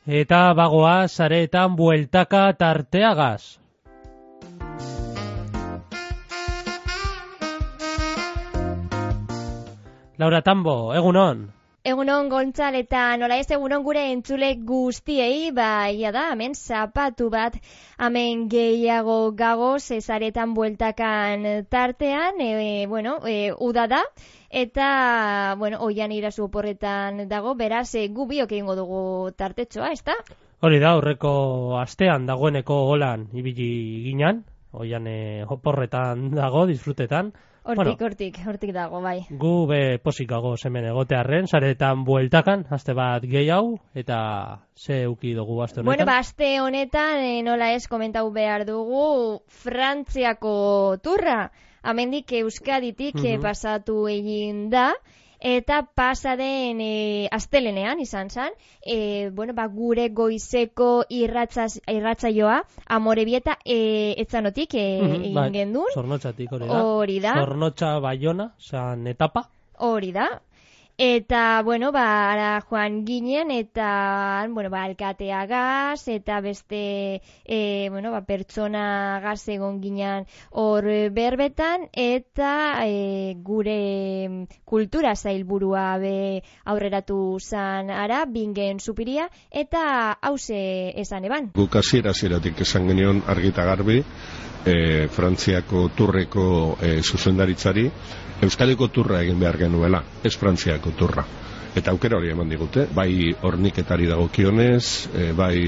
eta bagoa sareetan bueltaka tarteagaz. Laura Tambo, egunon. Egunon Gontzal eta nola ez egunon gure entzule guztiei, ia da, hemen zapatu bat, hemen gehiago gagoz, sareetan bueltakan tartean, uda da, eta, oian irazu oporretan dago, beraz, gu biok egingo dugu tartetxoa, ez da? Hori da, horreko astean dagoeneko holan ibili ginan, oian oporretan dago, disfrutetan. Hortik dago, bai. Gu be posikago hemen egotearren, sareetan bueltakan, aste bat gehiago, eta ze uki dugu aste honetan? Aste honetan, nola ez komentau behar dugu, Frantziako turra, amendik Euskaditik pasatu egin da, eta pasaden astelenean izan zen, gure goizeko irratsaioa Amorebieta etzanotik egin gendun. Zornotxatik, hori da. Zornotxa Baiona, zan etapa. Hori da. Eta, ara joan ginen, eta, alkateagaz, eta beste, pertsona gaz egon ginen hor berbetan, eta gure kultura zailburua be aurreratu zan ara, bingen supiria, eta hause esan eban. Guk hasieratik esan genion argita garbi, Frantziako turreko zuzendaritzari, Euskadiko turra egin behar genuela, ez Frantziako turra. Eta aukera hori eman digute, bai horniketari dagokionez, bai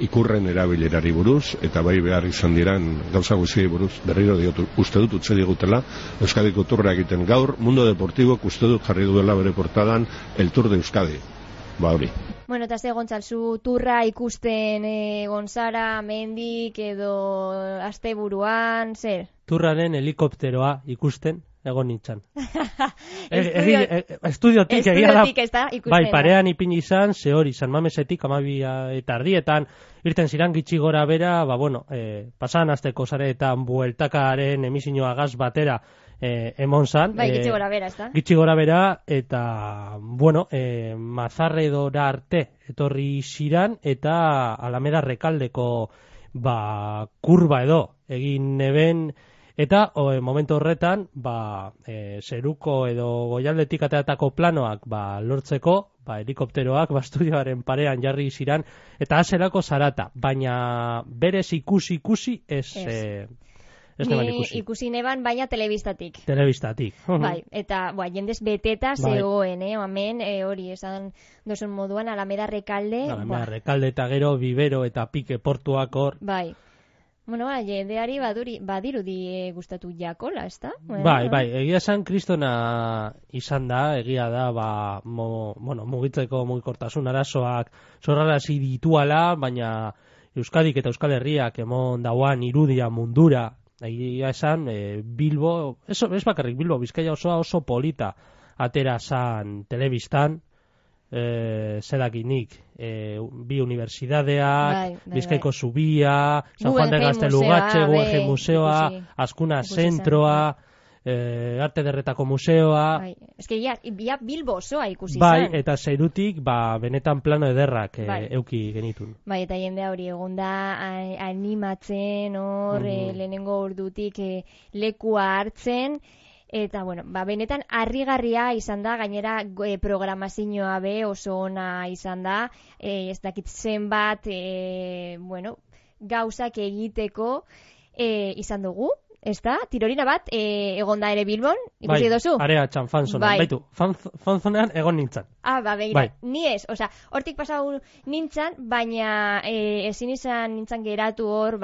ikurren erabilerari buruz, eta bai behar izan diran gauza guztiei buruz, berriro diotu, uste dut utze digutela, Euskadiko turra egiten gaur, Mundo Deportibo uste dut jarri duela bere portadan el Tour de Euskadi. Hori. Eta ze Gontzalzu turra ikusten Gonzara, mendik edo asteburuan, zer? Turraren helikopteroa ikusten egon nintzen. Estudiotik egia da. Bai, parean ipini izan, ze hori, San Mamesetik 12 eta erdietan, irten ziran gitxi gora bera, pasan asteko sareetan bueltakaren emisioa gaz batera emon zan. Bai, gitxi gora bera, ez da? Gitxi gora bera, eta, Mazarredora arte etorri ziran, eta Alameda Rekaldeko, kurba edo, egin neben, eta momentu horretan, zeruko edo goialdetik ateatako planoak lortzeko, helikopteroak estudioaren parean jarri ziran, eta azerako zarata, baina berez ikusi ez neban ikusi. Ni ikusi neban, baina telebistatik. Telebistatik. Bai, eta jendez beteta zegoen, hemen hori esan dozun moduan, Alameda Rekalde. Alameda Rekalde eta gero, Bibero eta Pike portuak hor. Bai. Jendeari badirudi gustatu jakola, ez da? Bai, egia esan kristona izan da, egia da, mugitzeko mugikortasun arazoak zorrarazi dituala, baina Euskadik eta Euskal Herriak emon dauan irudia mundura, egia esan, Bilbo, ez bakarrik Bilbo, Bizkaia oso polita atera zan telebistan, zerakinik, bi universidadeak, Bizkaiko Zubia, San Juan de Gaztelugatxe, Guggenheim Museoa, Azkuna Zentroa, Arte Derretako Museoa. Ez que ya Bilbo osoa ikusi zen. Bai, eta zeirutik, benetan plano ederrak euki genitun. Bai, eta jende hori egonda animatzen hor, lehenengo ordutik lekua hartzen, eta, benetan harrigarria izan da, gainera programazioa oso ona izan da, ez dakit zenbat, gauzak egiteko izan dugu, ez da? Tirorina bat, egonda ere Bilbon, ikusi dozu? Bai, areatxan, fanzonan, baitu, fanzonean egon nintzen. Begira, ni ez, hortik pasau nintzen, baina ezin izan nintzen geratu hor,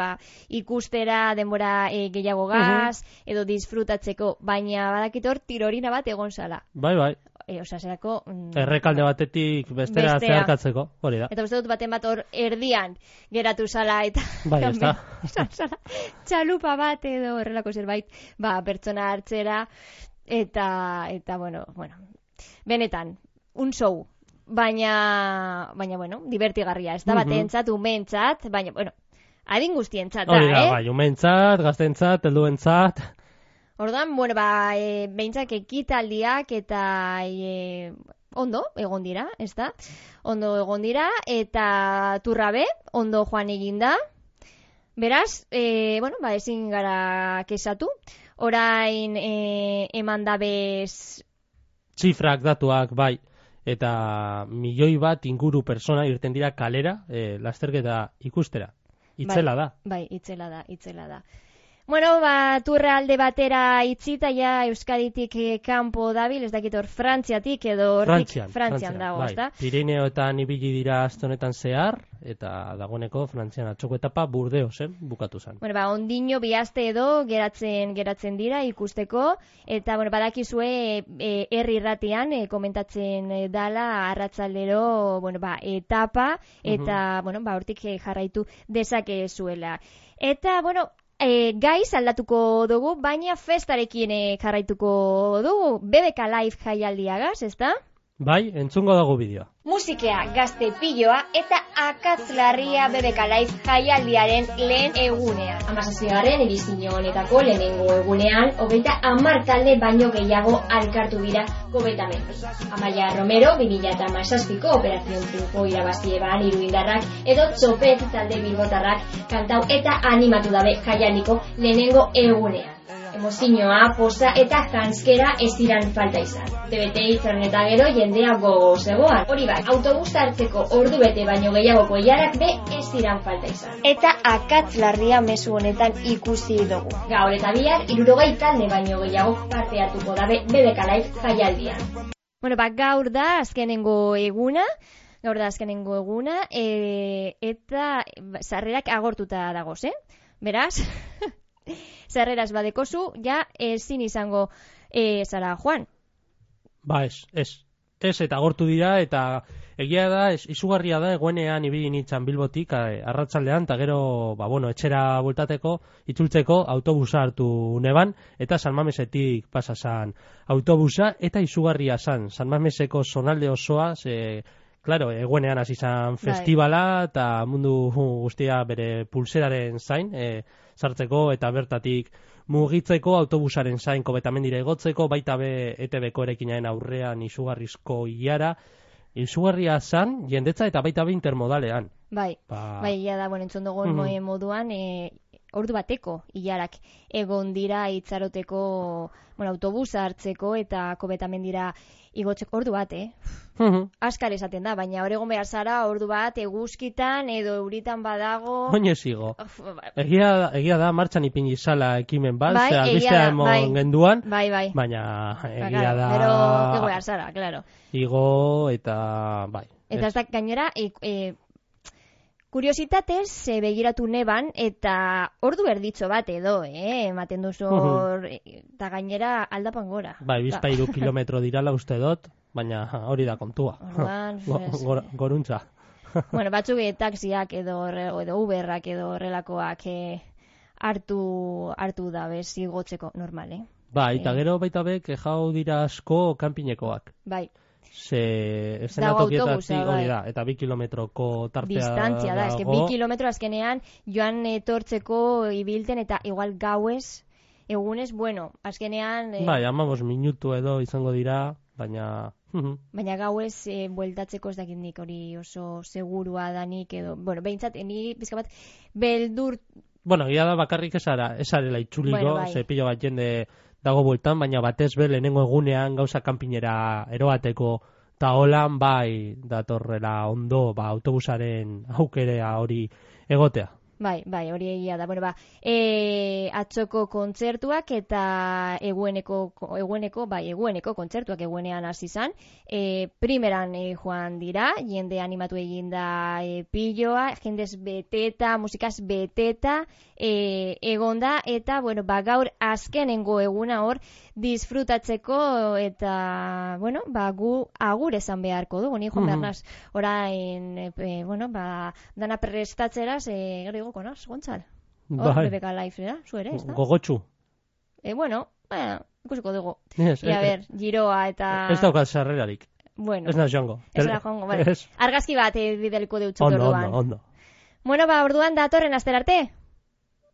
ikustera denbora gehiago gaz, edo disfrutatzeko, baina badakit hor tirorina bat egon zala. Bai. Zerako... Errekalde batetik bestera zeharkatzeko, hori da. Eta uste dut baten bat hor erdian geratu zala, eta... Bai, ez da. Txalupa bat edo horrelako zerbait, pertsona hartzera, eta benetan, un show. Baina, divertigarria, ez da batentzat, umentzat, baina, adin guztientzat da, hori da, umentzat, gaztentzat, helduentzat... Orduan, behintzak ekitaldiak eta ondo egon dira, ez da? Ondo egon dira, eta turra be, ondo joan eginda. Beraz, ezin gara kesatu. Orain eman dabez... Zifrak, datuak, bai. Eta 1 milioi bat inguru persona irten dira kalera, lasterketa ikustera. Itzela da. Bai, itzela da. Bueno, turra alde batera itzita ja Euskaditik kanpo dabil, ez dakit hor Frantziatik edo Frantzian dago, bai. ezta? Pirineoetan ibili dira aste honetan zehar eta dagoeneko Frantzian atzoko etapa Burdeosen bukatu zen. Bueno, ondino bi aste edo geratzen dira ikusteko eta badakizue herri irratian komentatzen dala arratsaldero, etapa eta hortik jarraitu dezakezuela. Eta gaiz aldatuko dugu, baina festarekin jarraituko dugu. BBK Live jaialdiagaz, ezta? Bai, entzungo dago bideoa. Musikea, gazte piloa eta akatzlarria BBK Live jaialdiaren lehen egunean. 17. edizio honetako lehenengo egunean, 30 talde baino gehiago alkartu dira kobetamendu. Amaia Romero, 2017ko Operación Triunfo irabazi eban iruindarrak edo Txopet talde bilbotarrak kantau eta animatu dabe jaialdiko lehenengo egunean. Emozioa, poza eta janskera ez diran falta izan. TBT itzaren eta gero jendea gogo zegoan. Hori bai, autobus hartzeko ordu bete baino gehiagoko ilarak be ez diran falta izan. Eta akatzlarria mezu honetan ikusi dugu. Gaur eta bihar 60 talde baino gehiago parte hartuko dabe BBK Live jaialdian. Gaur da azkenengo eguna. Eta sarrerak agortuta dagoz, Beraz... Zerreraz badekozu, ja ezin izango zara joan. Ba, ez, eta agortu dira, eta egia da, izugarria da, egoenean ibili nintzen Bilbotik, arratsaldean, eta gero, etxera bueltateko, itzultzeko, autobusa hartu neban, eta San Mamesetik pasa zan autobusa, eta izugarria zan, San Mameseko zonalde osoa, claro, eguenean hasi izan festivala eta mundu guztia bere pulseraren zain sartzeko eta bertatik mugitzeko autobusaren zain kobetamendira igotzeko, baita be ETB-ko erekinaren aurrean izugarrizko ilara, izugarria zan jendetza eta baita be intermodalean. Bai, ia da, entzun dugun moduan, ordu bateko ilarak egon dira itzaroteko autobusa hartzeko eta kobetamendira igotzeko ordu bat, Askar esaten da, baina hor egon behar zara ordu bat eguzkitan edo euritan badago... Oinez igo. Egia da, martxan ipini zala ekimen bat, albistea emon genduan, baina egia da... Pero ego behar zara, claro. Igo eta... Eta ez da gainera... Kuriositatez, begiratu neban, eta ordu erditxo bat edo, ematen duzu hor, eta gainera aldapan gora. Bizpairu kilometro dirala uste dut, baina hori da kontua. Goruntza. Batzuk taxiak edo Uberrak edo horrelakoak hartu da bez igotzeko normal, eta gero baita bek jau dira asko kanpinekoak. Eszenatokietatik hori da, eta 2 kilometroko tartea distantzia da, 2 kilometro azkenean joan etortzeko ibilten eta igual gauez, egunez, azkenean... 15 minutu edo izango dira, baina... Baina gauez bueltatzeko ez dakindik hori oso segurua danik edo... behintzat, ni bizka bat beldur... Egia da bakarrik esarela itxuliko, pilo bat jende... dago bueltan, baina batez be lehenengo egunean gauza kanpinera eroateko eta holan datorrela ondo autobusaren aukerea hori egotea. Hori egia da. Atzoko kontzertuak eta egueneko kontzertuak eguenean hasi izan. Primeran joan dira, jende animatu eginda piloa, jendez beteta, musikaz beteta egonda, eta gaur azkenengo eguna hor disfrutatzeko eta gu agur esan beharko dugu, ni joan behar naz orain dana prestatzeraz gero igoko naz, Gontzal? BBK Live, zu ere, ez da? Gogotxu. Ikusiko dugu. Giroa eta... Ez daukat sarrerarik. Ez naz joango. Ez da joango, argazki bat bideliko deutzut orduan. Ondo. Orduan datorren aster arte?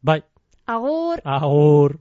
Bai. Agur. Agur.